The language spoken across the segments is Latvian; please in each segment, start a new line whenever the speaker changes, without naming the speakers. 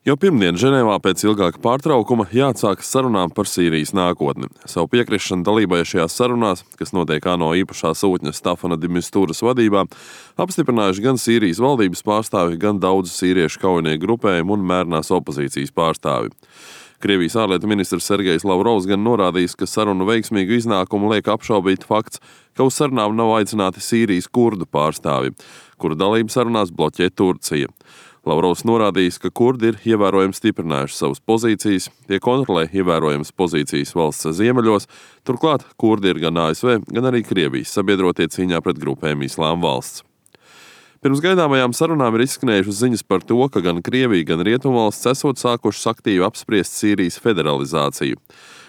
Jau pirmdien Ženēvā pēc ilgāka pārtraukuma jāatsākas sarunām par Sīrijas nākotni. Savu piekrišanu dalībai šajās sarunās, kas notiek ANO īpašā sūtņa Stafana de Misturas vadībā, apstiprinājuši gan Sīrijas valdības pārstāvi, gan daudzu sīriešu kaujinieku grupējumu un mērnās opozīcijas pārstāvi. Krievijas ārlietu ministrs Sergejs Lavrovs gan norādījis, ka sarunu veiksmīgu iznākumu liek apšaubīt fakts, ka uz sarunām nav aicināti Sīrijas kurdu pārstāvi, kuru dalību sarunās bloķē Turcija. Lavrovs norādījis, ka kurdi ir ievērojami stiprinājuši savas pozīcijas, tie kontrolē ievērojamas pozīcijas valsts ziemeļos, turklāt kurdi ir gan ASV, gan arī Krievijas sabiedrotie cīņā pret grupēm Islāma valsts. Pirms gaidāmajām sarunām ir izskanējušas ziņas par to, ka gan Krievija, gan Rietumvalsts esot sākušas aktīvi apspriest Sīrijas federalizāciju.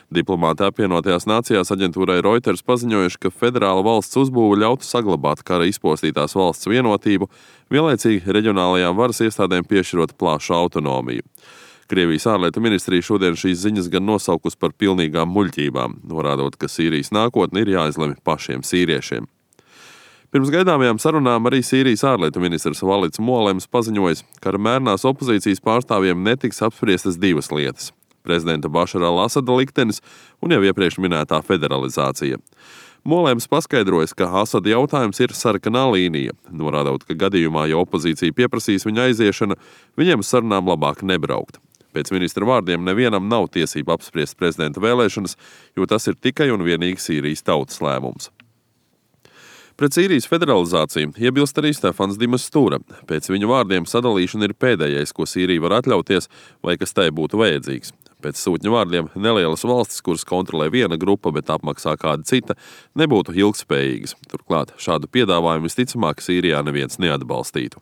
Diplomāti apvienotajās nācijās aģentūrai Reuters paziņojuši, ka federāla valsts uzbūve ļautu saglabāt kara izpostītās valsts vienotību, vienlaicīgi reģionālajām varas iestādēm piešķirot plašu autonomiju. Krievijas ārlietu ministrija šodien šīs ziņas gan nosaukus par pilnīgām muļķībām, norādot, ka Sīrijas nākotne ir jāizlemj pašiem sīriešiem. Pirms gaidāmajām sarunām arī Sīrijas ārlietu ministrs Valits Molems paziņojis, ka ar mērnās opozīcijas pārstāvjiem netiks apspriestas divas lietas – prezidenta Bašara al-Asada liktenis un jau iepriekš minētā federalizācija. Molems paskaidrojas, ka Asada jautājums ir sarkanā līnija, norādot, ka gadījumā, ja opozīcija pieprasīs viņa aiziešana, viņiem uz sarunām labāk nebraukt. Pēc ministra vārdiem nevienam nav tiesība apspriest prezidenta vēlēšanas, jo tas ir tikai un vienīgi Sīrijas tautas lēmums. Pret Sīrijas federalizāciju iebilst arī Stefans de Mistura. Pēc viņa vārdiem sadalīšana ir pēdējais, ko Sīrija var atļauties vai kas tai būtu vajadzīgs. Pēc sūtņa vārdiem nelielas valstis, kuras kontrolē viena grupa, bet apmaksā kāda cita, nebūtu ilgspējīgas. Turklāt šādu piedāvājumu visticamāk Sīrijā neviens neatbalstītu.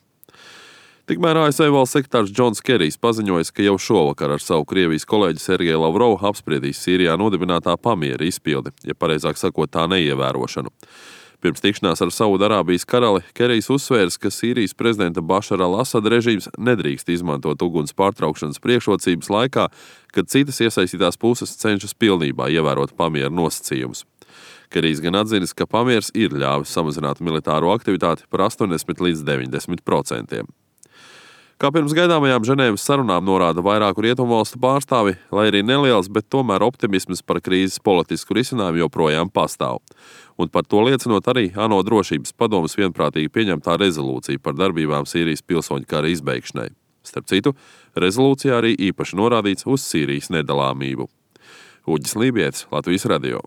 Tikmēr ASV valsts sekretārs Džons Kerijs paziņojis, ka jau šovakar ar savu Krievijas kolēģi Sergeju Lavrovu apspriedīs Sīrijā nodibinātā pamiera izpildi, ja pareizāk sakot tā neievērošanu. Pirms tikšanās ar Saudarābijas karali Kerijs uzsvērs, ka Sīrijas prezidenta Bašara al-Asada režīms nedrīkst izmantot uguns pārtraukšanas priekšrocības laikā, kad citas iesaistītās puses cenšas pilnībā ievērot pamiera nosacījumus. Kerijs gan atzinis, ka pamieris ir ļāvis samazināt militāro aktivitāti par 80 līdz 90%. Kā pirms gaidāmajām Ženēvas sarunām norāda vairāku rietumvalstu pārstāvi, lai arī neliels, bet tomēr optimisms par krīzes politisku risinājumu joprojām pastāv. Un par to liecinot arī ANO drošības padomes vienprātīgi pieņemtā rezolūcija par darbībām Sīrijas pilsoņu kara izbeigšanai. Starp citu, rezolūcijā arī īpaši norādīts uz Sīrijas nedalāmību. Uģis Lībietis, Latvijas radio.